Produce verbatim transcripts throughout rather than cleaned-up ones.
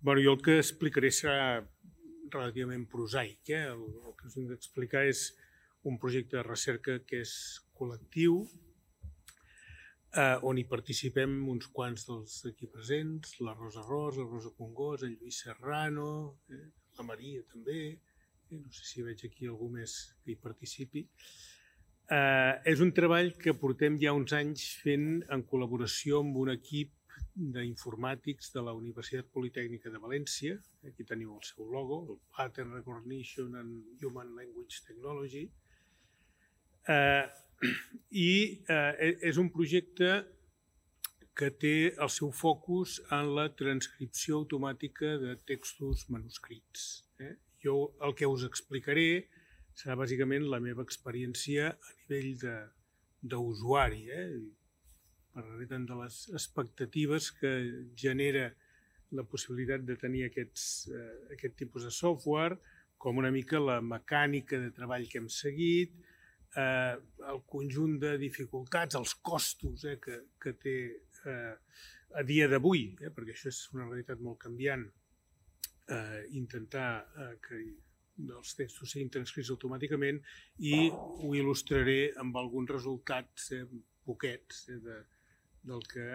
Bé, jo el que explicaré serà relativament prosaic. El que us vinc a explicar és un projecte de recerca que és col·lectiu, on hi participem uns quants dels aquí presents, la Rosa Ros, la Rosa Congost, el Lluís Serrano, la Maria també, no sé si veig aquí algú més que hi participi. És un treball que portem ja uns anys fent en col·laboració amb un equip d'informàtics de la Universitat Politècnica de València. Aquí teniu el seu logo, el Pattern Recognition and Human Language Technology. I és un projecte que té el seu focus en la transcripció automàtica de textos manuscrits. Jo el que us explicaré serà bàsicament la meva experiència a nivell d'usuari, per tant de les expectatives que genera la possibilitat de tenir aquest tipus de software, com una mica la mecànica de treball que hem seguit, el conjunt de dificultats, els costos que té a dia d'avui, perquè això és una realitat molt canviant, intentar que els textos siguin transcrits automàticament, i ho il·lustraré amb alguns resultats poquets del que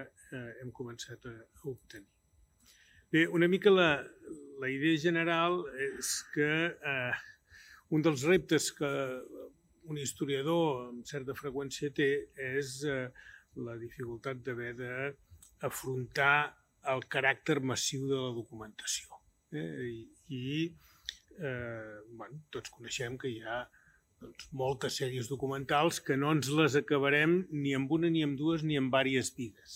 hem començat a obtenir. Bé, una mica la idea general és que un dels reptes que un historiador amb certa freqüència té és la dificultat d'haver d'afrontar el caràcter massiu de la documentació. I tots coneixem que hi ha moltes sèries documentals que no ens les acabarem ni amb una, ni amb dues, ni amb diverses vides.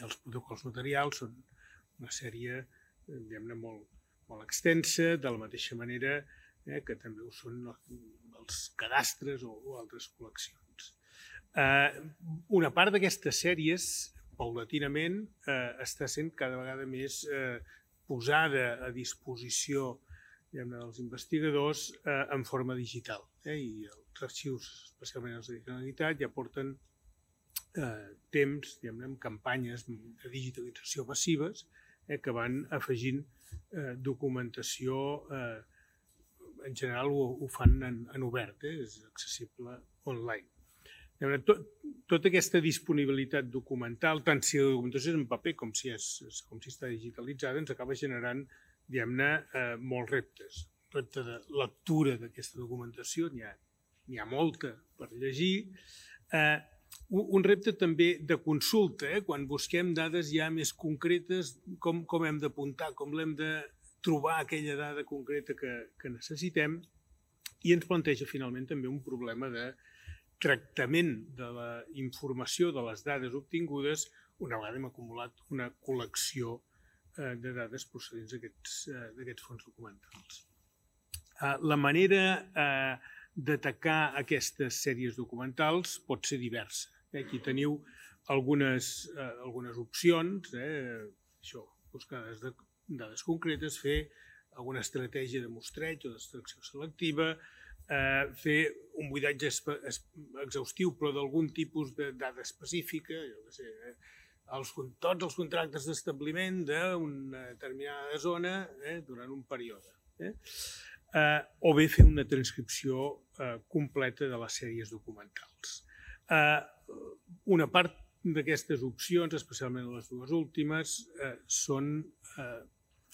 Els protocols notarials són una sèrie, diguem-ne, molt extensa, de la mateixa manera que també ho són els cadastres o altres col·leccions. Una part d'aquestes sèries, paulatinament, està sent cada vegada més posada a disposició dels investigadors en forma digital. I els arxius, especialment els de Generalitat, ja porten temps amb campanyes de digitalització massives que van afegint documentació. En general ho fan en obert, és accessible online. Tota aquesta disponibilitat documental, tant si la documentació és en paper com si està digitalitzada, ens acaba generant, diguem-ne, molts reptes. El repte de lectura d'aquesta documentació, n'hi ha molta per llegir. Un repte també de consulta, quan busquem dades ja més concretes, com hem d'apuntar, com l'hem de trobar aquella dada concreta que necessitem, i ens planteja finalment també un problema de tractament de la informació, de les dades obtingudes, una vegada hem acumulat una col·lecció de dades procedents d'aquests fons documentals. La manera d'atacar aquestes sèries documentals pot ser diversa. Aquí teniu algunes opcions, buscar dades concretes, fer alguna estratègia de mostreig o d'extracció selectiva, fer un buidatge exhaustiu però d'algun tipus de dada específica, tots els contractes d'establiment d'una determinada zona durant un període. O bé fer una transcripció completa de les sèries documentals. Una part d'aquestes opcions, especialment les dues últimes, són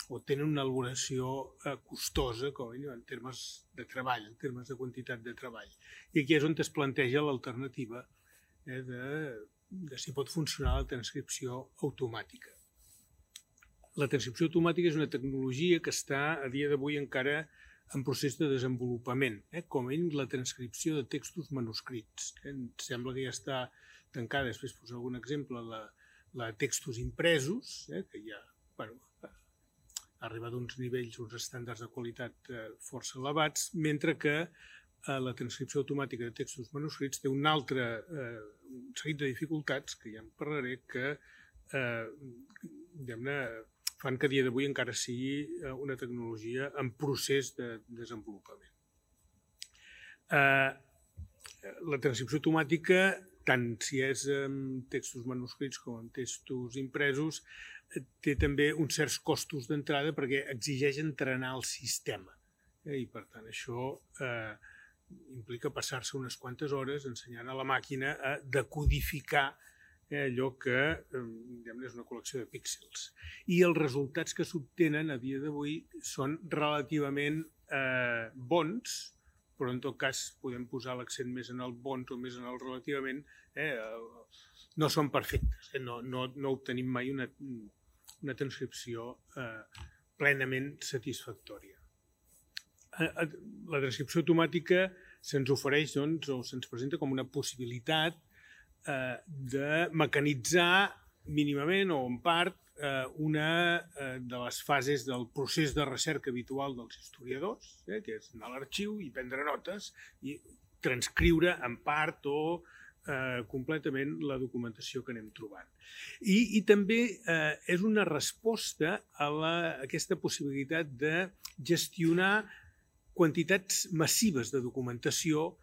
o tenen una elaboració costosa, com en termes de treball, en termes de quantitat de treball. I aquí és on es planteja l'alternativa de si pot funcionar la transcripció automàtica. La transcripció automàtica és una tecnologia que està a dia d'avui encara en procés de desenvolupament, com a mínim la transcripció de textos manuscrits. Em sembla que ja està tancada, després posaré algun exemple, la de textos impresos, que ja ha arribat a uns nivells, uns estàndards de qualitat força elevats, mentre que la transcripció automàtica de textos manuscrits té un altre seguit de dificultats, que ja en parlaré, que fan que a dia d'avui encara sigui una tecnologia en procés de desenvolupament. La transcripció automàtica tant si és en textos manuscrits com en textos impresos, té també uns certs costos d'entrada perquè exigeix entrenar el sistema. I, per tant, això eh, implica passar-se unes quantes hores ensenyant a la màquina a decodificar eh, allò que eh, és una col·lecció de píxels. I els resultats que s'obtenen a dia d'avui són relativament eh, bons, però en tot cas podem posar l'accent més en el bons o més en el relativament, eh, no són perfectes, eh, no, no, no obtenim mai una, una transcripció eh, plenament satisfactòria. La transcripció automàtica se'ns ofereix, doncs, o se'ns presenta com una possibilitat eh, de mecanitzar mínimament o en part eh, una eh, de les fases del procés de recerca habitual dels historiadors, eh, que és anar a l'arxiu i prendre notes i transcriure en part o eh, completament la documentació que anem trobant. I, i també eh, és una resposta a, la, a aquesta possibilitat de gestionar quantitats massives de documentació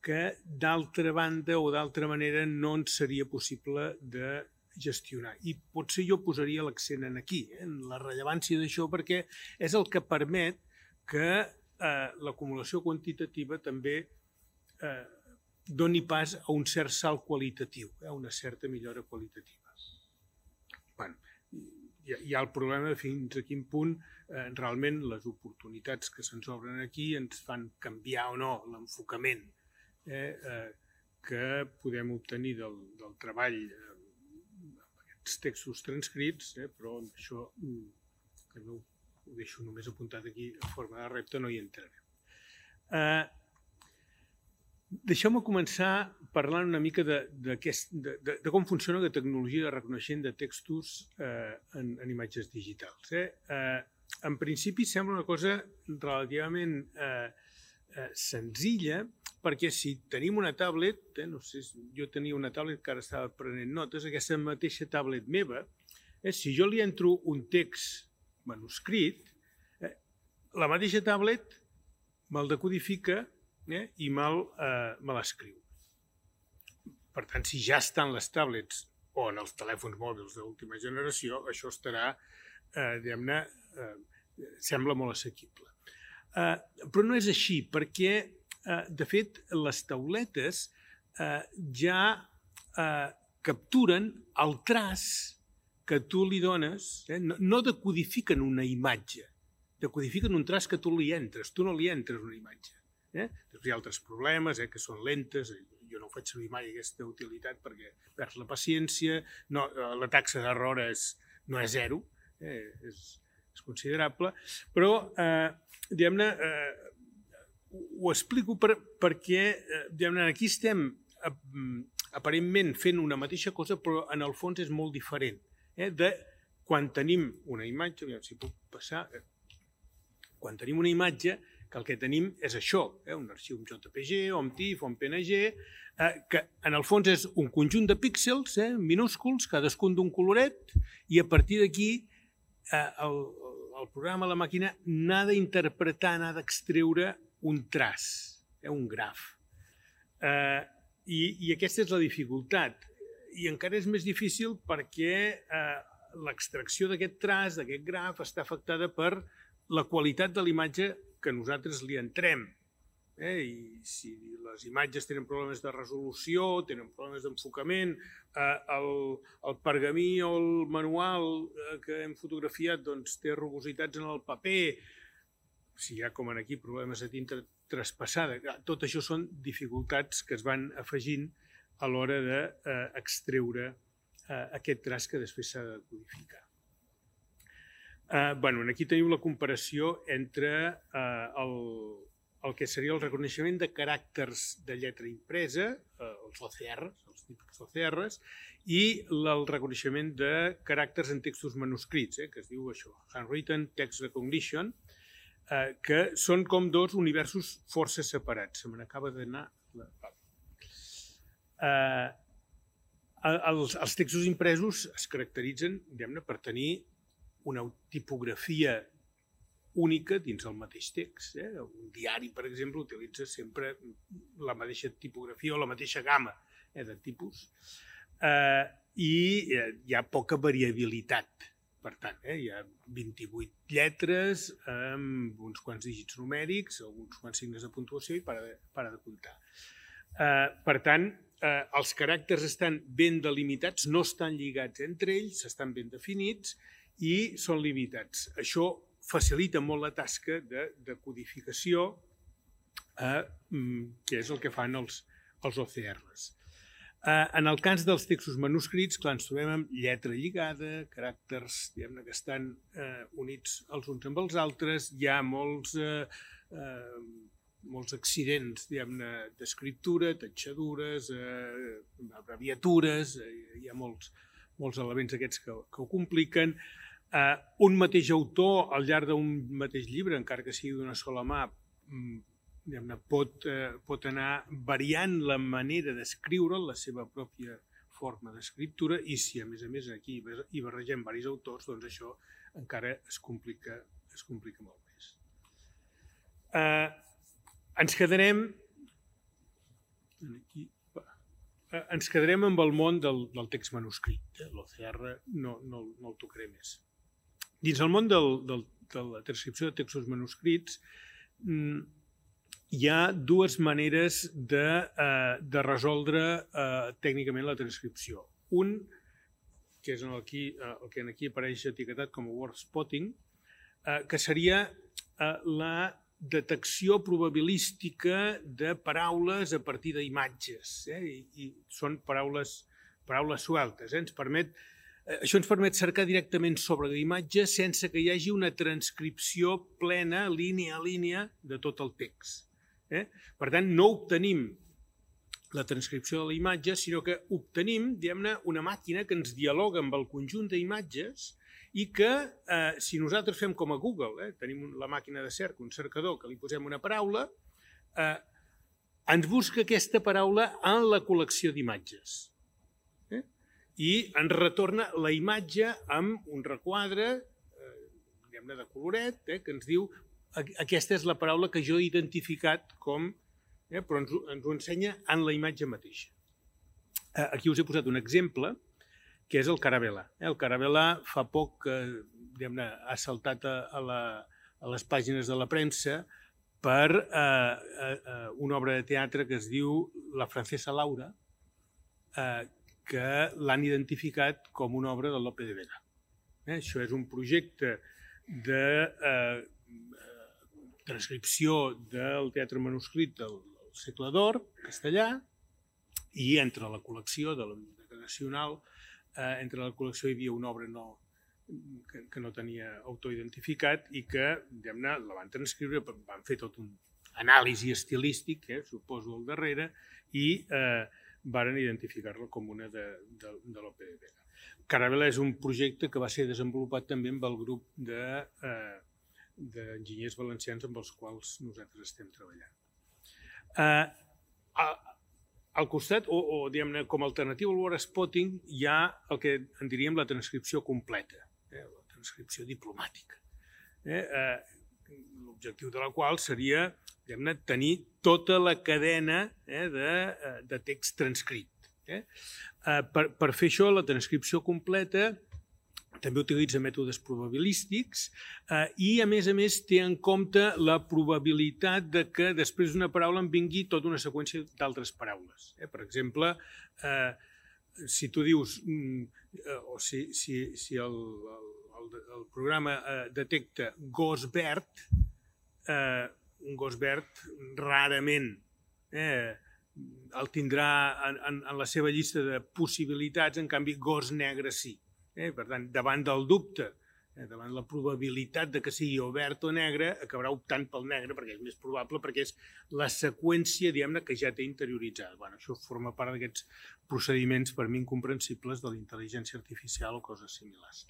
que d'altra banda o d'altra manera no ens seria possible de gestionar. I potser jo posaria l'accent en aquí, eh, en la rellevància d'això, perquè és el que permet que eh, l'acumulació quantitativa també eh, doni pas a un cert salt qualitatiu, a una certa millora qualitativa. Bueno, hi ha el problema de fins a quin punt eh, realment les oportunitats que se'ns obren aquí ens fan canviar o no l'enfocament eh, eh, que podem obtenir del, del treball eh, amb aquests textos transcrits, eh, però això que no ho deixo només apuntat aquí en forma de repte, no hi entrarem. Eh, Deixeu-me començar parlant una mica de, de, de, de, de com funciona la tecnologia de reconeixement de textos eh, en, en imatges digitals. Eh? Eh, en principi sembla una cosa relativament eh, eh, senzilla, perquè si tenim una tablet, eh, no sé, jo tenia una tablet que ara estava prenent notes, aquesta mateixa tablet meva, eh, si jo li entro un text manuscrit, eh, la mateixa tablet me'l decodifica Eh, i me'l eh, me l'escriu. Per tant, si ja estan les tablets o en els telèfons mòbils d'última generació, això estarà, eh, diguem-ne, eh, sembla molt assequible. Eh, però no és així, perquè, eh, de fet, les tauletes eh, ja eh, capturen el traç que tu li dones, eh, no, no decodifiquen una imatge, decodifiquen un traç que tu li entres, tu no li entres una imatge. Eh? Després hi ha altres problemes, eh, que són lentes, jo no ho faig servir mai aquesta utilitat perquè perds la paciència, no, la taxa d'error és, no és zero, eh, és, és considerable, però eh, diguem-ne, eh, ho explico per, perquè eh, diguem-ne, aquí estem eh, aparentment fent una mateixa cosa, però en el fons és molt diferent. Eh, de quan tenim una imatge, aviam si puc passar, eh, quan tenim una imatge, que el que tenim és això, eh, un arxiu en J P G o en TIFF o en P N G, eh, que en el fons és un conjunt de píxels eh, minúsculs, cadascun d'un coloret, i a partir d'aquí eh, el, el programa, la màquina, n'ha d'interpretar, n'ha d'extreure un traç, eh, un graf. Eh, i, I aquesta és la dificultat. I encara és més difícil perquè eh, l'extracció d'aquest traç, d'aquest graf, està afectada per la qualitat de l'imatge que nosaltres li entrem. Eh? I si les imatges tenen problemes de resolució, tenen problemes d'enfocament, eh, el, el pergamí o el manual eh, que hem fotografiat doncs, té rugositats en el paper, si hi ha com aquí problemes de tinta traspassada, tot això són dificultats que es van afegint a l'hora d'extreure eh, aquest traç que després s'ha de codificar. Eh, bueno, aquí teniu la comparació entre eh, el, el que seria el reconeixement de caràcters de lletra impresa, eh, els O C Rs, els típics O C Rs, i el reconeixement de caràcters en textos manuscrits, eh, que es diu això, Handwritten Text Recognition, eh, que són com dos universos força separats. Se me n'acaba d'anar... Eh, els, els textos impresos es caracteritzen, diguem-ne, per tenir una tipografia única dins el mateix text. Eh? Un diari, per exemple, utilitza sempre la mateixa tipografia o la mateixa gamma de tipus, i hi ha poca variabilitat. Per tant, hi ha vint-i-vuit lletres amb uns quants dígits numèrics, alguns quants signes de puntuació i para de comptar. Per tant, els caràcters estan ben delimitats, no estan lligats entre ells, estan ben definits i són limitats. Això facilita molt la tasca de codificació, que és el que fan els O C Rs. En el cas dels textos manuscrits, clar, ens trobem amb lletra lligada, caràcters que estan units els uns amb els altres, hi ha molts molts accidents d'escriptura, tatxadures, abreviatures, hi ha molts elements aquests que ho compliquen. Un mateix autor, al llarg d'un mateix llibre, encara que sigui d'una sola mà, pot anar variant la manera d'escriure, la seva pròpia forma d'escriptura, i si a més a més aquí hi barregem diversos autors, doncs això encara es complica molt més. Ens quedarem ens quedarem amb el món del text manuscrit. L'O C R no el tocaré més. Dins el món de la transcripció de textos manuscrits hi ha dues maneres de resoldre tècnicament la transcripció. Un, que és el que aquí apareix etiquetat com a word spotting, que seria la detecció probabilística de paraules a partir d'imatges. I són paraules sueltes. Això ens permet cercar directament sobre l'imatge sense que hi hagi una transcripció plena, línia a línia, de tot el text. Per tant, no obtenim la transcripció de la imatge, sinó que obtenim, diguem-ne, una màquina que ens dialoga amb el conjunt d'imatges i que, si nosaltres fem com a Google, tenim la màquina de cerca, un cercador, que li posem una paraula, ens busca aquesta paraula en la col·lecció d'imatges. I ens retorna la imatge amb un requadre, diguem-ne, de coloret, que ens diu aquesta és la paraula que jo he identificat com, però ens ho ensenya en la imatge mateixa. Aquí us he posat un exemple, que és el Caravel·la. El Caravel·la fa poc ha saltat a les pàgines de la premsa per una obra de teatre que es diu La francesa Laura, que l'han identificat com una obra de Lope de Vega. Això és un projecte de transcripció del teatre manuscrit del segle d'or, castellà, i entre la col·lecció de la Biblioteca Nacional, entre la col·lecció hi havia una obra que no tenia autor identificat i que, diguem-ne, la van transcriure, van fer tot un anàlisi estilístic, suposo, al darrere, i varen identificar-la com una de Lope de Vega. Caravel·la és un projecte que va ser desenvolupat també amb el grup d'enginyers valencians amb els quals nosaltres estem treballant. Al costat, o diguem-ne, com a alternativa al word spotting, hi ha el que en diríem la transcripció completa, la transcripció diplomàtica. L'objectiu de la qual seria, diguem-ne, tenir tota la cadena de text transcrit. Per fer això, la transcripció completa també utilitza mètodes probabilístics i, a més a més, té en compte la probabilitat que després d'una paraula en vingui tota una seqüència d'altres paraules. Per exemple, si tu dius, o si el programa detecta gos verd, un gos verd rarament el tindrà en la seva llista de possibilitats, en canvi gos negre sí. Per tant, davant del dubte, davant la probabilitat que sigui o verd o negre, acabarà optant pel negre perquè és més probable, perquè és la seqüència, diguem-ne, que ja té interioritzada. Això forma part d'aquests procediments per mi incomprensibles de la intel·ligència artificial o coses similars.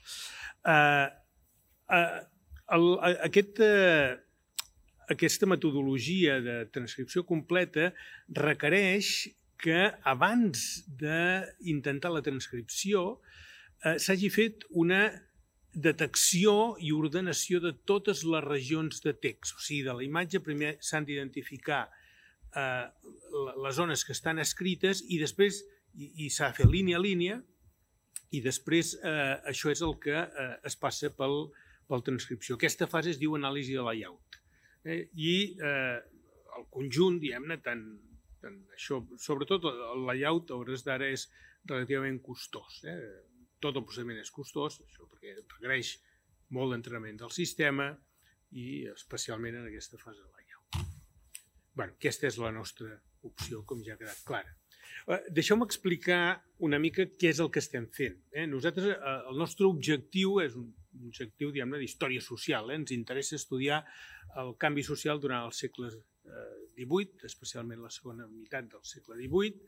Aquesta metodologia de transcripció completa requereix que abans d'intentar la transcripció s'hagi fet una detecció i ordenació de totes les regions de text. O sigui, de la imatge primer s'han d'identificar les zones que estan escrites i després i s'ha de fer línia a línia i després això és el que es passa pel transcripció. Aquesta fase es diu anàlisi de layout. I el conjunt, diguem-ne, tant això, sobretot el layout a hores d'ara és relativament costós. Tot el procediment és costós, això perquè requereix molt d'entrenament del sistema i especialment en aquesta fase de layout. Bé, aquesta és la nostra opció, com ja ha quedat clara. Deixeu-me explicar una mica què és el que estem fent. Nosaltres, el nostre objectiu és un objectiu, diguem-ne, d'història social. Ens interessa estudiar el canvi social durant el segle divuit, especialment la segona meitat del segle divuit,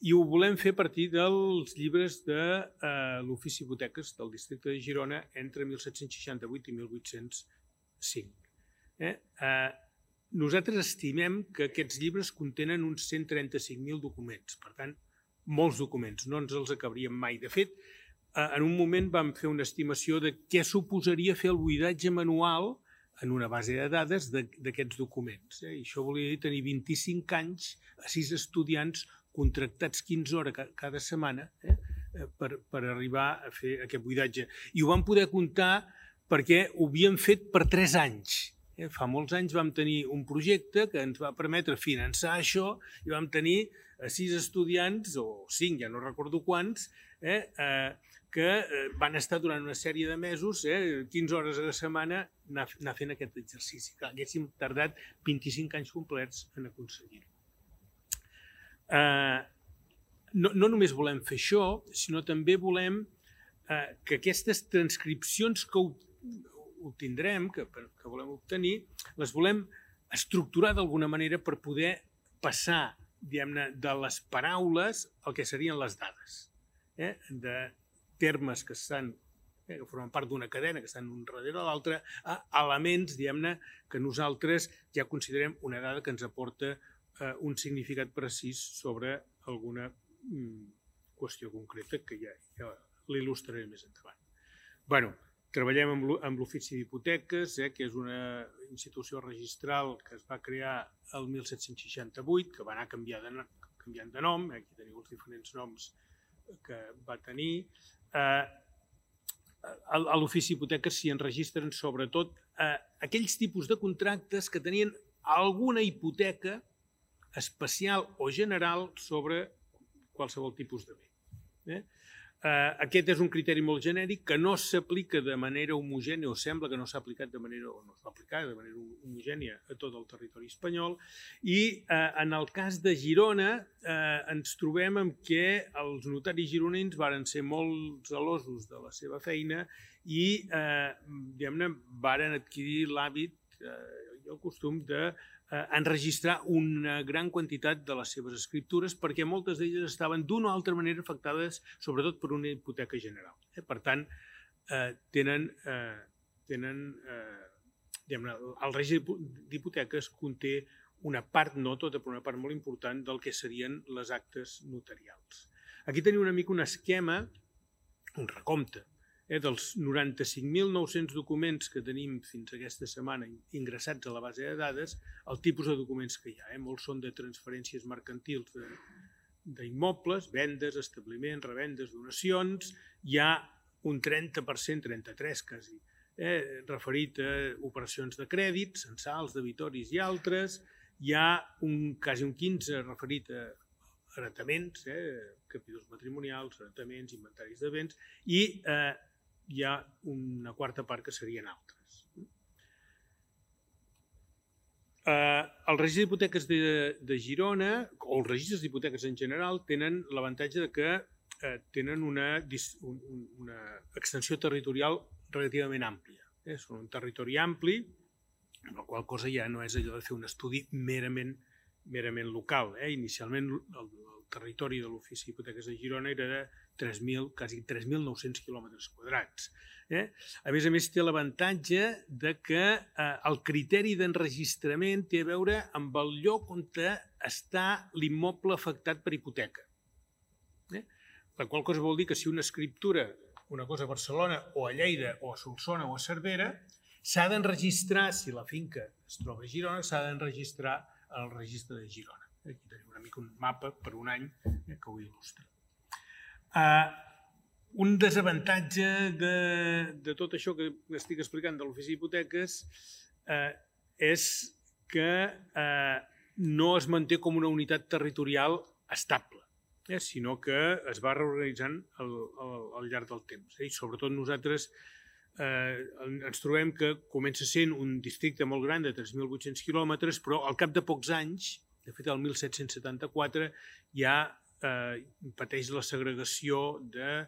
i ho volem fer a partir dels llibres de l'Ofici d'Hipoteques del districte de Girona entre mil set-cents seixanta-vuit i mil vuit-cents cinc. Nosaltres estimem que aquests llibres contenen uns cent trenta-cinc mil documents, per tant, molts documents, no ens els acabaríem mai. De fet, en un moment vam fer una estimació de què suposaria fer el buidatge manual en una base de dades d'aquests documents. I això volia dir tenir vint-i-cinc anys a sis estudiants contractats quinze hores cada setmana per arribar a fer aquest buidatge. I ho vam poder comptar perquè ho havíem fet per tres anys. Fa molts anys vam tenir un projecte que ens va permetre finançar això i vam tenir sis estudiants, o cinc, ja no recordo quants, que van estar durant una sèrie de mesos, quinze hores a la setmana, anar fent aquest exercici. Haguéssim tardat vint-i-cinc anys complets en aconseguir-ho. No només volem fer això, sinó també volem que aquestes transcripcions que obtindrem, que volem obtenir, les volem estructurar d'alguna manera per poder passar, diguem-ne, de les paraules al que serien les dades, de termes que estan, que formen part d'una cadena, que estan un darrere l'altre, a elements, diguem-ne, que nosaltres ja considerem una dada que ens aporta un significat precís sobre alguna qüestió concreta que ja l'il·lustraré més endavant. Bé, treballem amb l'Ofici d'Hipoteques, que és una institució registral que es va crear el mil set-cents seixanta-vuit, que va anar canviant de nom, aquí teniu els diferents noms que va tenir. A l'Ofici d'Hipoteques s'hi enregistren sobretot aquells tipus de contractes que tenien alguna hipoteca especial o general sobre qualsevol tipus de bé. Aquest és un criteri molt genèric que no s'aplica de manera homogènia, o sembla que no s'ha aplicat de manera, o no es va aplicar de manera homogènia a tot el territori espanyol, i en el cas de Girona ens trobem amb que els notaris gironins varen ser molt gelosos de la seva feina i, diguem-ne, varen adquirir l'hàbit i el costum de enregistrar una gran quantitat de les seves escriptures perquè moltes d'elles estaven d'una o altra manera afectades sobretot per una hipoteca general. Per tant, tenen, el règim d'hipoteques conté una part, no tota, però una part molt important del que serien les actes notarials. Aquí teniu una mica un esquema, un recompte, dels noranta-cinc mil nou-cents documents que tenim fins aquesta setmana ingressats a la base de dades, el tipus de documents que hi ha. Molts són de transferències mercantils d'immobles, vendes, establiments, revendes, donacions. Hi ha un trenta per cent, trenta-tres quasi, referit a operacions de crèdit, censals, debitoris i altres. Hi ha quasi un quinze referit a heretaments, capítols matrimonials, heretaments, inventaris de béns, i hi ha una quarta part que serien altres. Els registres d'hipoteques de Girona, o els registres d'hipoteques en general, tenen l'avantatge que tenen una extensió territorial relativament àmplia. Són un territori ampli, amb la qual cosa ja no és allò de fer un estudi merament local. Inicialment el territori de l'Ofici d'Hipoteques de Girona era de quasi tres mil nou-cents quilòmetres quadrats. A més a més, té l'avantatge que el criteri d'enregistrament té a veure amb el lloc on està l'immoble afectat per hipoteca. La qual cosa vol dir que si una escriptura, una cosa a Barcelona o a Lleida o a Solsona o a Cervera, s'ha d'enregistrar, si la finca es troba a Girona, s'ha d'enregistrar al registre de Girona. Aquí tenim una mica un mapa per un any que ho il·lustra. Uh, un desavantatge de, de tot això que estic explicant de l'ofici d'hipoteques uh, és que uh, no es manté com una unitat territorial estable, eh, sinó que es va reorganitzant al, al, al llarg del temps. Eh? I sobretot nosaltres eh, ens trobem que comença sent un districte molt gran de tres mil vuit-cents quilòmetres, però al cap de pocs anys, de fet el mil set-cents setanta-quatre, ja eh, pateix la segregació de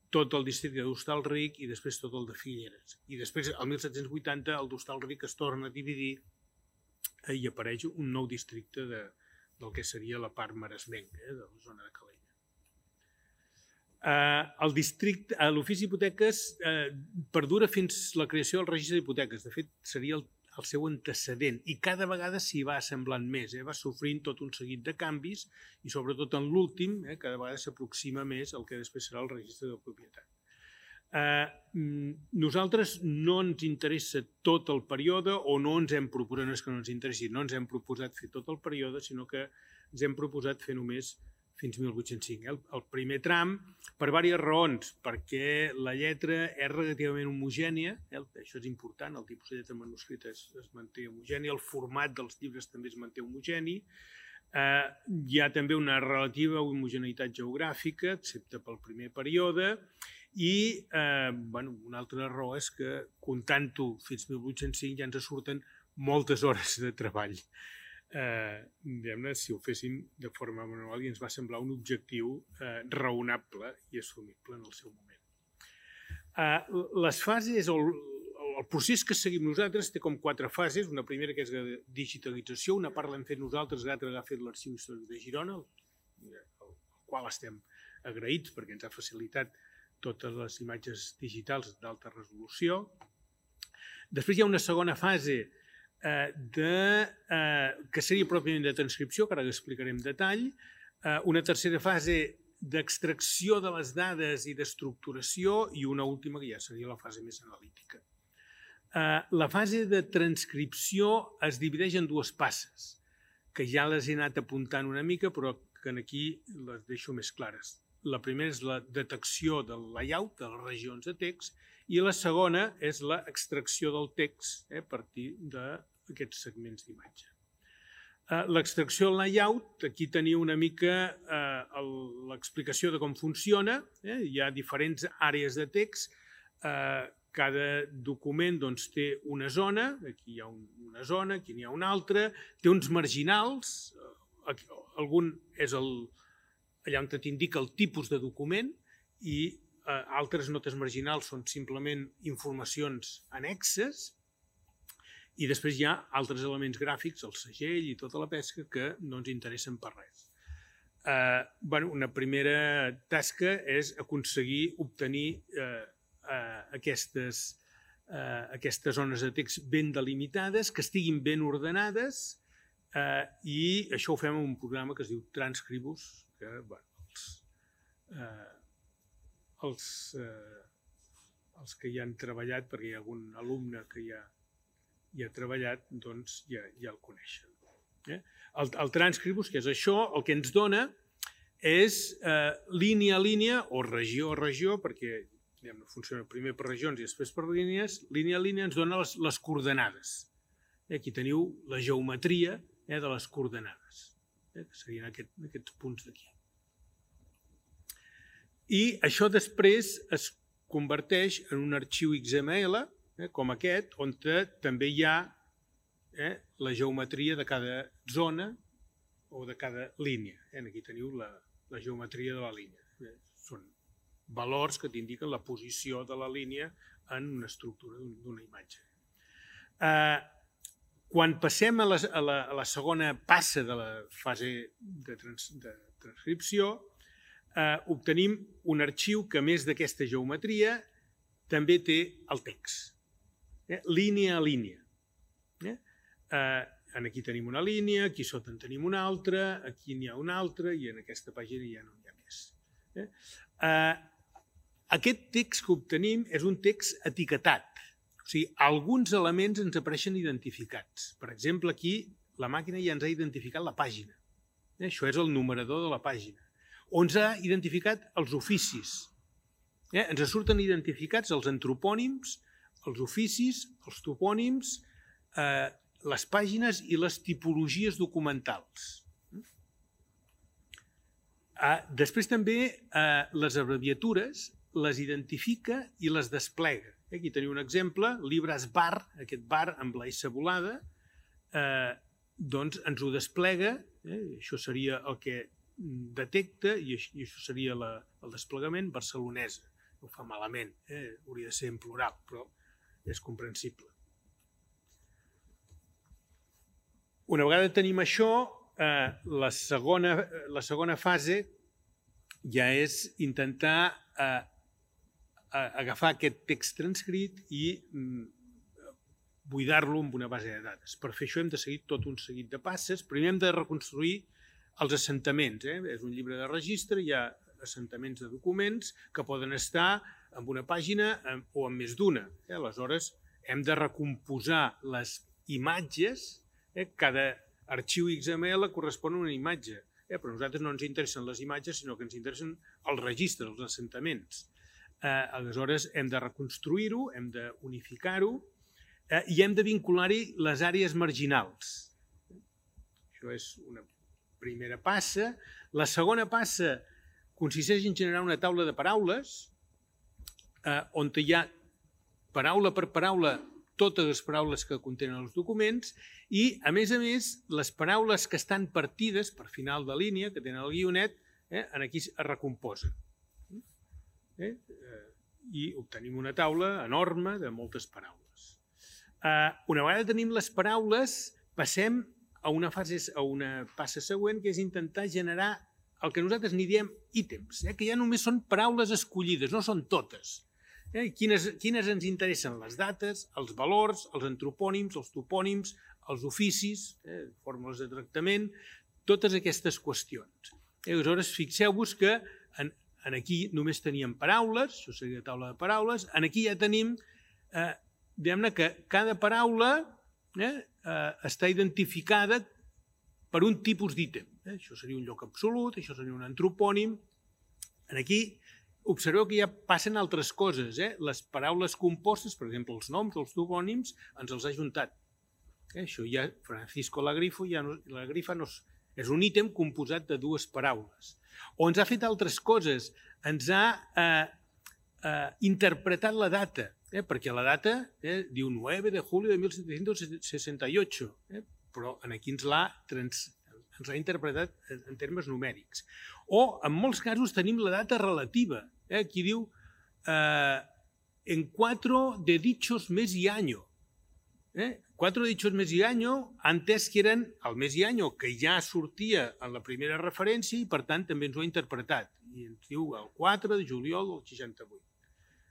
tot el districte d'Hostalric i després tot el de Figueres. I després, el mil set-cents vuitanta, el d'Hostalric es torna a dividir eh, i apareix un nou districte de, del que seria la part maresmenca, eh, de la zona de Calella. Eh, el districte, eh, l'ofici d'hipoteques eh, perdura fins la creació del registre d'hipoteques. De fet, seria el el seu antecedent, i cada vegada s'hi va assemblant més, eh? va sofrint tot un seguit de canvis i sobretot en l'últim eh, cada vegada s'aproxima més al que després serà el registre de propietat. Eh, nosaltres no ens interessa tot el període o no ens hem proposat, no és que no ens interessi, no ens hem proposat fer tot el període, sinó que ens hem proposat fer només fins mil vuit-cents cinc. Eh? El, el primer tram, per diverses raons, perquè la lletra és relativament homogènia, eh? Això és important, el tipus de lletra manuscrita es, es manté homogènia, el format dels llibres també es manté homogeni, eh, hi ha també una relativa homogeneïtat geogràfica, excepte pel primer període, i eh, bueno, una altra raó és que, comptant-ho fins mil vuit-cents cinc, ja ens surten moltes hores de treball. Eh, diguem-ne, si ho féssim de forma manual i ens va semblar un objectiu eh, raonable i assumible en el seu moment. Eh, les fases, el, el procés que seguim nosaltres té com quatre fases, una primera que és la digitalització, una part l'hem fet nosaltres, l'altra l'ha fet l'Arxiu Històric de Girona, al qual estem agraïts perquè ens ha facilitat totes les imatges digitals d'alta resolució. Després hi ha una segona fase Eh, de, eh, que seria pròpiament de transcripció, que ara l'explicaré en detall, eh, una tercera fase d'extracció de les dades i d'estructuració i una última que ja seria la fase més analítica. Eh, la fase de transcripció es divideix en dues passes, que ja les he anat apuntant una mica, però que aquí les deixo més clares. La primera és la detecció del layout, de les regions de text, i la segona és l'extracció del text eh, a partir d'aquests segments d'imatge. Eh, l'extracció del layout, aquí teniu una mica eh, l'explicació de com funciona. Eh, hi ha diferents àrees de text. Eh, cada document doncs, té una zona, aquí hi ha un, una zona, aquí n'hi ha una altra, té uns marginals, aquí, algun és el, allà on t'indica el tipus de document i Eh, altres notes marginals són simplement informacions annexes i després hi ha altres elements gràfics, el segell i tota la pesca que no ens interessen per res. Eh, bueno, una primera tasca és aconseguir obtenir eh, eh, aquestes, eh, aquestes zones de text ben delimitades, que estiguin ben ordenades eh, i això ho fem en un programa que es diu Transcribus, que bueno, els... Eh, Els, eh, els que hi han treballat, perquè hi ha algun alumne que ja hi ha treballat, doncs ja, ja el coneixen. Eh? El, el Transcribus, que és això, el que ens dona és eh, línia a línia o regió a regió, perquè diguem, funciona primer per regions i després per línies, línia a línia ens dona les, les coordenades. Eh? Aquí teniu la geometria eh, de les coordenades, eh? que serien aquest, aquests punts d'aquí. I això després es converteix en un arxiu X M L, eh, com aquest, on també hi ha eh, la geometria de cada zona o de cada línia. Eh, aquí teniu la, la geometria de la línia. Eh, són valors que t'indiquen la posició de la línia en una estructura d'una imatge. Eh, quan passem a la, a, la, a la segona passa de la fase de, trans, de transcripció, Eh, obtenim un arxiu que, a més d'aquesta geometria, també té el text, eh? línia a línia. Eh? Eh, aquí tenim una línia, aquí sota en tenim una altra, aquí n'hi ha una altra i en aquesta pàgina ja no n'hi ha més. Eh? Eh, aquest text que obtenim és un text etiquetat, o sigui, alguns elements ens apareixen identificats. Per exemple, aquí la màquina ja ens ha identificat la pàgina. Això és el numerador de la pàgina. On s'ha identificat els oficis. Ens surten identificats els antropònims, els oficis, els topònims, les pàgines i les tipologies documentals. Després també les abreviatures les identifica i les desplega. Aquí teniu un exemple, llibres bar, aquest bar amb la S volada, doncs ens ho desplega, això seria el que detecta i això seria el desplegament barcelonesa. Ho fa malament, hauria de ser en plural, però és comprensible. Una vegada tenim això, la segona fase ja és intentar agafar aquest text transcrit i buidar-lo amb una base de dades. Per fer això hem de seguir tot un seguit de passes. Primer hem de reconstruir els assentaments. És un llibre de registre, hi ha assentaments de documents que poden estar en una pàgina o en més d'una. Aleshores, hem de recomposar les imatges. Cada arxiu X M L correspon a una imatge, però a nosaltres no ens interessen les imatges, sinó que ens interessen els registres, els assentaments. Aleshores, hem de reconstruir-ho, hem d'unificar-ho i hem de vincular-hi les àrees marginals. Això és una primera passa. La segona passa consisteix en generar una taula de paraules on hi ha paraula per paraula totes les paraules que contenen els documents i, a més a més, les paraules que estan partides per final de línia, que tenen el guionet, aquí es recomposen. I obtenim una taula enorme de moltes paraules. Una vegada tenim les paraules, passem a una fase, a una passa següent, que és intentar generar el que nosaltres n'hi diem ítems, que ja només són paraules escollides, no són totes. Quines ens interessen? Les dates, els valors, els antropònims, els topònims, els oficis, fórmules de tractament, totes aquestes qüestions. Aleshores, fixeu-vos que aquí només teníem paraules, això seria la taula de paraules, aquí ja tenim, diguem-ne que cada paraula està identificada per un tipus d'ítem. Això seria un lloc absolut, això seria un antropònim. Aquí observeu que ja passen altres coses. Les paraules compostes, per exemple, els noms, els topònims, ens els ha juntat. Això ja, Francisco la Grifa és un ítem composat de dues paraules. O ens ha fet altres coses, ens ha interpretat la data, perquè la data diu nou de julio de mil setecientos sesenta y ocho, però aquí ens l'ha interpretat en termes numèrics. O, en molts casos, tenim la data relativa. Aquí diu en cuatro de dichos mes y año. Cuatro de dichos mes y año, ha entès que eren el mes i año, que ja sortia en la primera referència i, per tant, també ens ho ha interpretat. I ens diu el quatre de juliol del seixanta-vuit.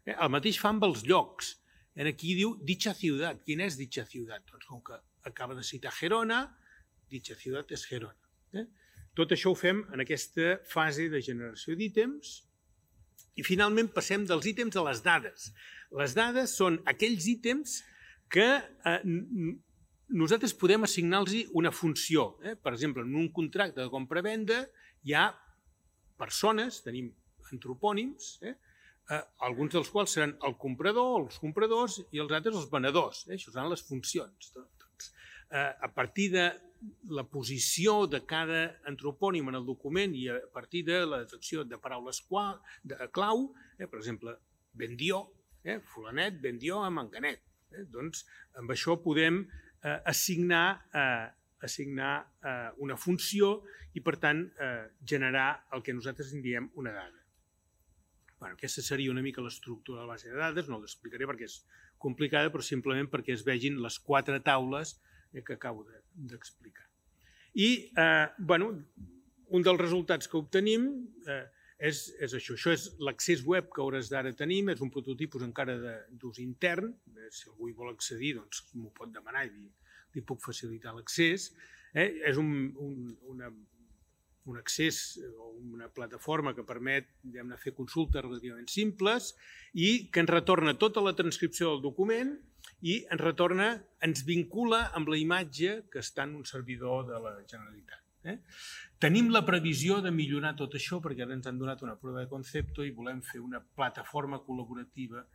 El mateix fa amb els llocs. Aquí diu dicha ciutat. Quina és dicha ciutat? Doncs com que acaba de citar Gerona, dicha ciutat és Gerona. Tot això ho fem en aquesta fase de generació d'ítems i finalment passem dels ítems a les dades. Les dades són aquells ítems que nosaltres podem assignar-los una funció. Per exemple, en un contracte de compra-venda hi ha persones, tenim antropònims, alguns dels quals seran el comprador, els compradors i els altres els venedors. Això seran les funcions. A partir de la posició de cada antropònim en el document i a partir de la detecció de paraules clau, per exemple, vendió, fulanet, vendió a manganet. Doncs amb això podem assignar una funció i, per tant, generar el que nosaltres en diem una dada. Aquesta seria una mica l'estructura de la base de dades, no l'explicaré perquè és complicada, però simplement perquè es vegin les quatre taules que acabo d'explicar. I un dels resultats que obtenim és això. Això és l'accés web que a hores d'ara tenim, és un prototipus encara d'ús intern. Si algú hi vol accedir, doncs m'ho pot demanar i li puc facilitar l'accés. És un accés o una plataforma que permet fer consultes relativament simples i que ens retorna tota la transcripció del document i ens retorna, ens vincula amb la imatge que està en un servidor de la Generalitat. Tenim la previsió de millorar tot això perquè ara ens han donat una prova de concepte i volem fer una plataforma col·laborativa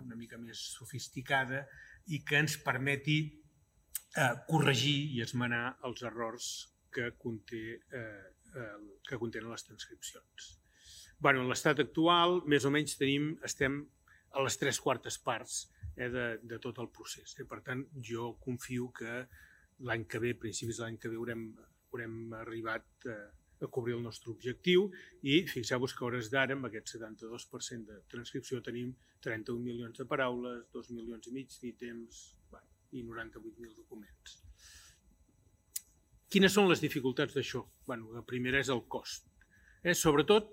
una mica més sofisticada i que ens permeti corregir i esmenar els errors que contenen les transcripcions. En l'estat actual, més o menys estem a les tres quartes parts de tot el procés. Per tant, jo confio que l'any que ve, a principis de l'any que ve, haurem arribat a cobrir el nostre objectiu i fixeu-vos que a hores d'ara, amb aquest setanta-dos per cent de transcripció, tenim trenta-un milions de paraules, dos milions i mig d'ítems i noranta-vuit mil documents. Quines són les dificultats d'això? La primera és el cost. Sobretot,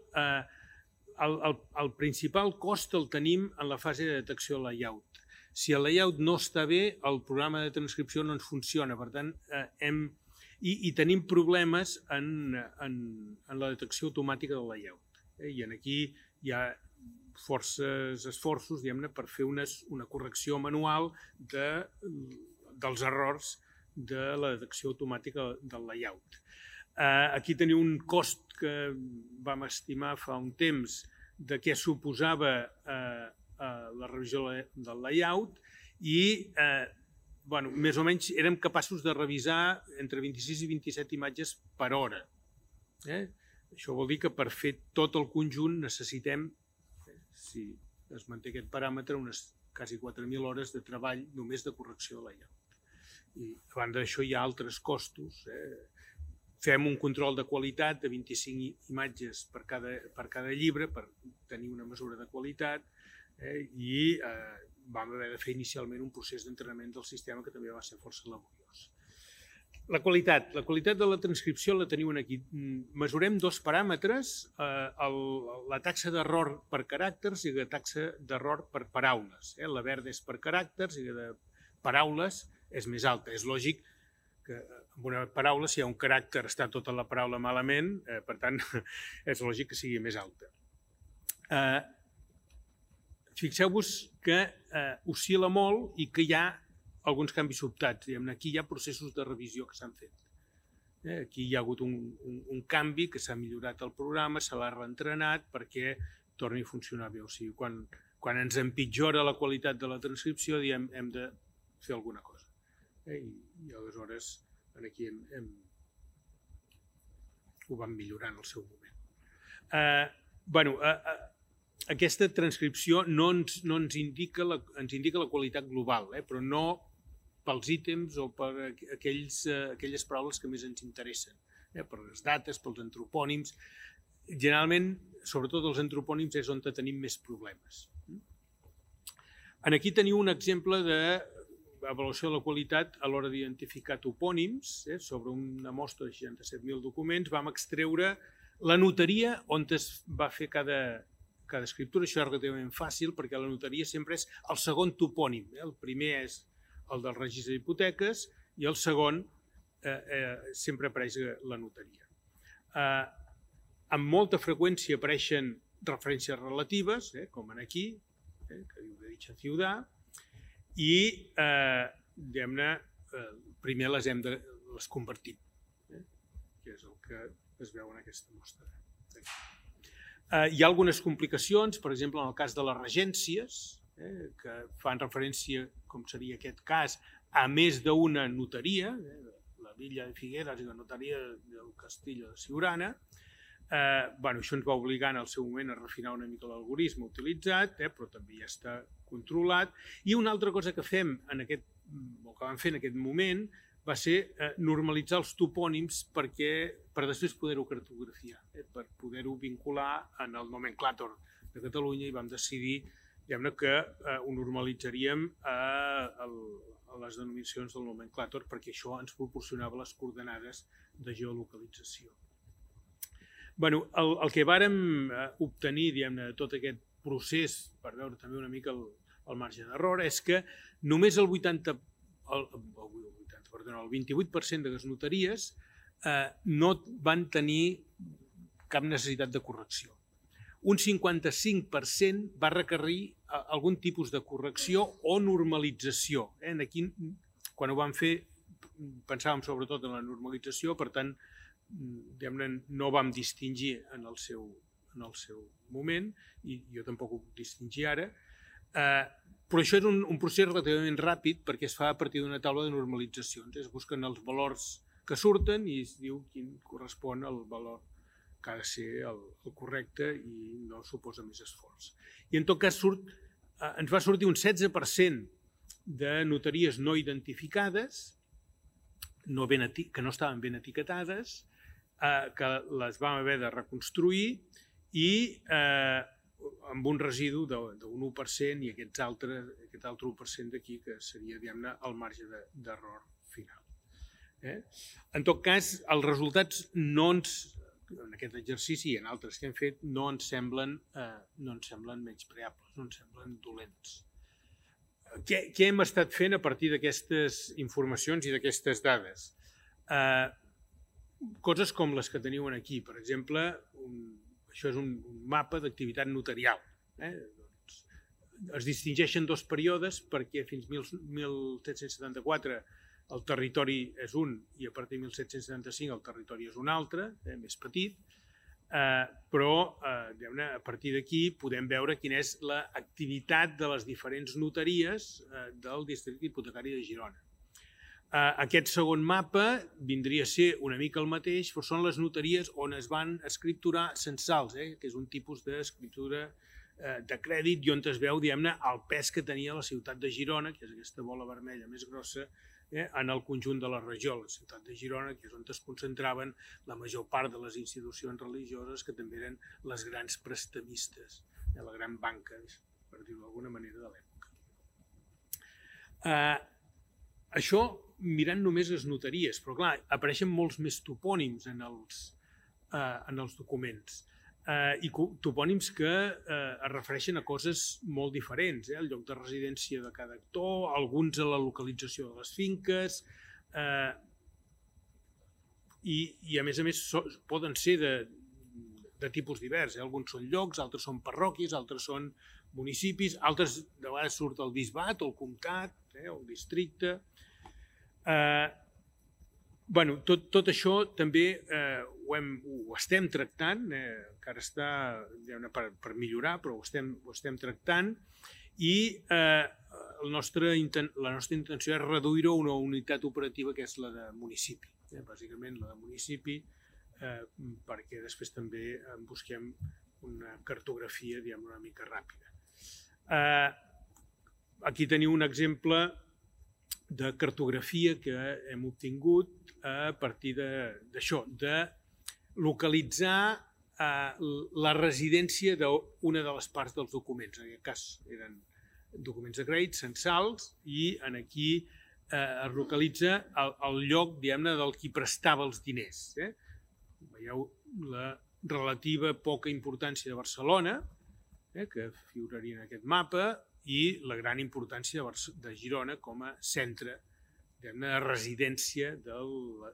el principal cost el tenim en la fase de detecció del layout. Si el layout no està bé, el programa de transcripció no ens funciona. Per tant, hem... I tenim problemes en la detecció automàtica del layout. I aquí hi ha forces esforços per fer una correcció manual dels errors de la detecció automàtica del layout. Aquí teniu un cost que vam estimar fa un temps de què suposava la revisió del layout i més o menys érem capaços de revisar entre vint-i-sis i vint-i-set imatges per hora. Això vol dir que per fer tot el conjunt necessitem, si es manté aquest paràmetre, unes quasi quatre mil hores de treball només de correcció de layout. I a banda d'això hi ha altres costos. Fem un control de qualitat de vint-i-cinc imatges per cada llibre per tenir una mesura de qualitat i vam haver de fer inicialment un procés d'entrenament del sistema que també va ser força laboriós. La qualitat. La qualitat de la transcripció la teniu aquí. Mesurem dos paràmetres, la taxa d'error per caràcters i la taxa d'error per paraules. La verda és per caràcters i la de paraules és més alta. És lògic que en una paraula, si hi ha un caràcter, està tota la paraula malament, per tant, és lògic que sigui més alta. Fixeu-vos que oscil·la molt i que hi ha alguns canvis sobtats. Aquí hi ha processos de revisió que s'han fet. Aquí hi ha hagut un canvi que s'ha millorat el programa, se l'ha reentrenat perquè torni a funcionar bé. O sigui, quan ens empitjora la qualitat de la transcripció, diem hem de fer alguna cosa. I aleshores aquí ho vam millorar en el seu moment. Bé, aquesta transcripció no ens indica la qualitat global, però no pels ítems o per aquelles paraules que més ens interessen, per les dates, pels antropònims. Generalment, sobretot els antropònims és on tenim més problemes. Aquí teniu un exemple d'avaluació de la qualitat a l'hora d'identificar topònims. Sobre una mostra de seixanta-set mil documents vam extreure la notaria on es va fer cada cada escriptura. Això és relativament fàcil perquè la notaria sempre és el segon topònim. El primer és el del registre d'hipoteques i el segon sempre apareix la notaria. Amb molta freqüència apareixen referències relatives, com aquí, que diu de dicha ciutat, i primer les hem convertit, que és el que es veu en aquesta mostra. Hi ha algunes complicacions, per exemple, en el cas de les regències, que fan referència, com seria aquest cas, a més d'una notaria, la Villa de Figueres i la notaria del Castillo de Siurana. Això ens va obligar en el seu moment a refinar una mica l'algoritme utilitzat, però també ja està controlat. I una altra cosa que fem, o que vam fer en aquest moment, va ser normalitzar els topònims per després poder-ho cartografiar, per poder-ho vincular en el nomenclàtor de Catalunya i vam decidir que ho normalitzaríem a les denominacions del nomenclàtor perquè això ens proporcionava les coordenades de geolocalització. El que vàrem obtenir de tot aquest procés, per veure també una mica el marge d'error, és que només el vuitanta el vint-i-vuit per cent de les notaries no van tenir cap necessitat de correcció. Un cinquanta-cinc per cent va requerir algun tipus de correcció o normalització. Aquí, quan ho vam fer, pensàvem sobretot en la normalització, per tant, no vam distingir en el seu, en el seu moment, i jo tampoc ho puc distingir ara, eh, però això és un, un procés relativament ràpid perquè es fa a partir d'una taula de normalitzacions. Es busquen els valors que surten i es diu quin correspon al valor que ha de ser el, el correcte i no suposa més esforç. I en tot cas surt, eh, ens va sortir un setze per cent de notaries no identificades, no ben eti que no estaven ben etiquetades, eh, que les vam haver de reconstruir i eh, amb un residu d'un u per cent i aquests altres, aquest altre u per cent d'aquí que seria, diguem-ne, el marge d'error final. Eh? En tot cas, els resultats no ens, en aquest exercici i en altres que hem fet, no ens semblen, eh, no ens semblen menyspreables, no ens semblen dolents. Què, què hem estat fent a partir d'aquestes informacions i d'aquestes dades? Eh, coses com les que teniu aquí. Per exemple, un, això és un, un mapa d'activitat notarial. Eh? Doncs, es distingeixen dos períodes perquè fins mil set-cents setanta-quatre el territori és un i a partir de mil set-cents setanta-cinc el territori és un altre, eh, més petit. Uh, però uh, a partir d'aquí podem veure quina és l'activitat de les diferents notaries uh, del districte hipotecari de Girona. Uh, aquest segon mapa vindria a ser una mica el mateix, però són les notaries on es van escripturar censals, eh, que és un tipus d'escriptura uh, de crèdit i on es veu, diguem-ne, el pes que tenia la ciutat de Girona, que és aquesta bola vermella més grossa, Eh, en el conjunt de la regió, la ciutat de Girona, que és on es concentraven la major part de les institucions religioses que també eren les grans prestamistes, eh, la gran banca, per dir-ho d'alguna manera, de l'època. Eh, això mirant només les notaries, però clar, apareixen molts més topònims en els, eh, en els documents. Eh, i topònims que eh, es refereixen a coses molt diferents, eh? El lloc de residència de cada actor, alguns a la localització de les finques, eh, i, i a més a més so, poden ser de, de tipus divers, eh? Alguns són llocs, altres són parròquies, altres són municipis, altres de vegades surt el bisbat, el comtat, eh? El districte. Eh, Bueno, tot, tot això també eh, ho, hem, ho estem tractant, eh, encara està per, per millorar, però ho estem, ho estem tractant i eh, el nostre, la nostra intenció és reduir-ho a una unitat operativa que és la de municipi, eh, bàsicament la de municipi, eh, perquè després també en busquem una cartografia diguem, una mica ràpida. Eh, aquí teniu un exemple de cartografia que hem obtingut a partir d'això, de, de localitzar eh, la residència d'una de les parts dels documents. En aquest cas eren documents de crèdit, censals, i en aquí eh, es localitza el, el lloc, diguem-ne, del qui prestava els diners. Eh? Veieu la relativa poca importància de Barcelona, eh, que figuraria en aquest mapa, i la gran importància de Girona com a centre de residència del,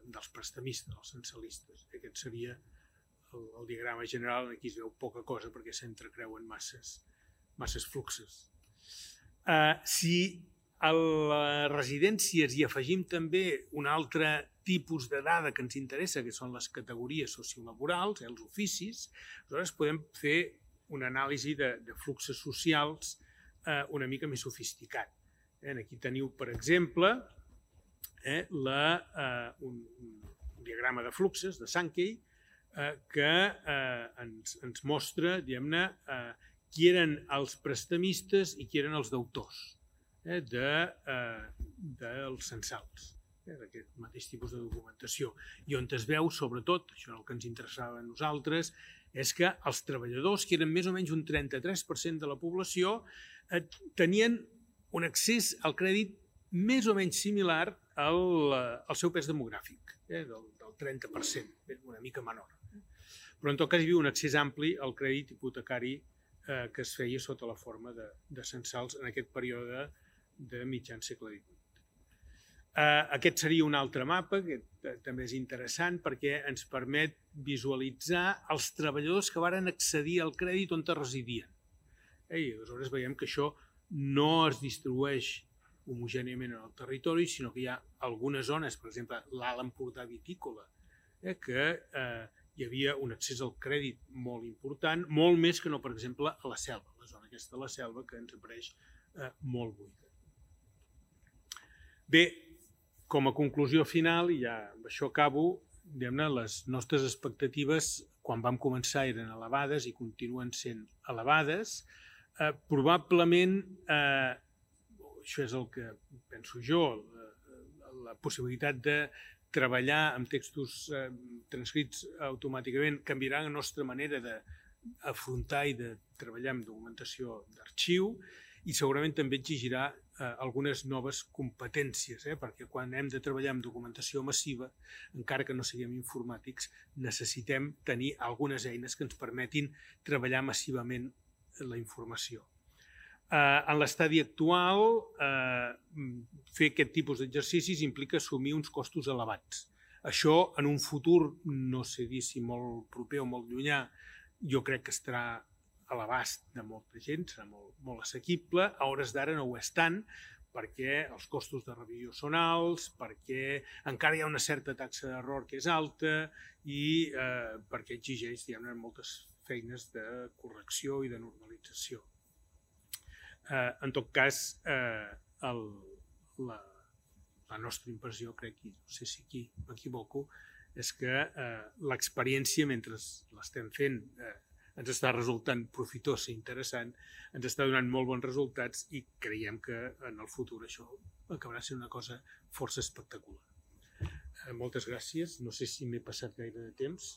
dels prestamistes, dels censalistes. Aquest seria el, el diagrama general, aquí es veu poca cosa perquè s'entrecreuen masses, masses fluxes. Uh, si a les residències hi afegim també un altre tipus de dada que ens interessa, que són les categories sociolaborals, eh, els oficis, aleshores podem fer una anàlisi de, de fluxes socials eh, una mica més sofisticat. Eh, aquí teniu, per exemple, eh, la, eh, un, un diagrama de fluxes de Sankey eh, que eh, ens, ens mostra, diguem-ne, eh, qui eren els prestamistes i qui eren els deutors eh, de, eh, dels censals, eh, d'aquest mateix tipus de documentació. I on es veu, sobretot, això és el que ens interessava a nosaltres, és que els treballadors, que eren més o menys un trenta-tres per cent de la població, eh, tenien un accés al crèdit més o menys similar al, al seu pes demogràfic, eh, del, del trenta per cent, una mica menor. Però en tot cas hi havia un accés ampli al crèdit hipotecari eh, que es feia sota la forma de, de censals en aquest període de mitjan segle divuit. Uh, aquest seria un altre mapa que també és interessant perquè ens permet visualitzar els treballadors que varen accedir al crèdit on residien. Eh, I aleshores veiem que això no es distribueix homogèniament en el territori, sinó que hi ha algunes zones, per exemple, l'Alt Empordà vitícola, que hi havia un accés al crèdit molt important, molt més que no, per exemple, a la selva, la zona aquesta de la selva que ens apareix molt buida. Bé, com a conclusió final, i ja amb això acabo, diguem-ne, les nostres expectatives quan vam començar eren elevades i continuen sent elevades. Eh, probablement, eh, això és el que penso jo, la, la possibilitat de treballar amb textos eh, transcrits automàticament canviarà la nostra manera d'afrontar i de treballar amb documentació d'arxiu i segurament també exigirà eh, algunes noves competències, eh, perquè quan hem de treballar amb documentació massiva, encara que no siguem informàtics, necessitem tenir algunes eines que ens permetin treballar massivament la informació. Eh, en l'estadi actual, eh, fer aquest tipus d'exercicis implica assumir uns costos elevats. Això, en un futur, no sé dir si molt proper o molt llunyà, jo crec que estarà a l'abast de molta gent, serà molt, molt assequible. A hores d'ara no ho és tant, perquè els costos de revisió són alts, perquè encara hi ha una certa taxa d'error que és alta i eh, perquè exigeix diguem-ne moltes feines de correcció i de normalització. Eh, en tot cas, eh, el, la, la nostra impressió, crec, i no sé si aquí m'equivoco, és que eh, l'experiència, mentre l'estem fent, eh, ens està resultant profitós i interessant, ens està donant molt bons resultats i creiem que en el futur això acabarà sent una cosa força espectacular. Eh, moltes gràcies. No sé si m'he passat gaire de temps.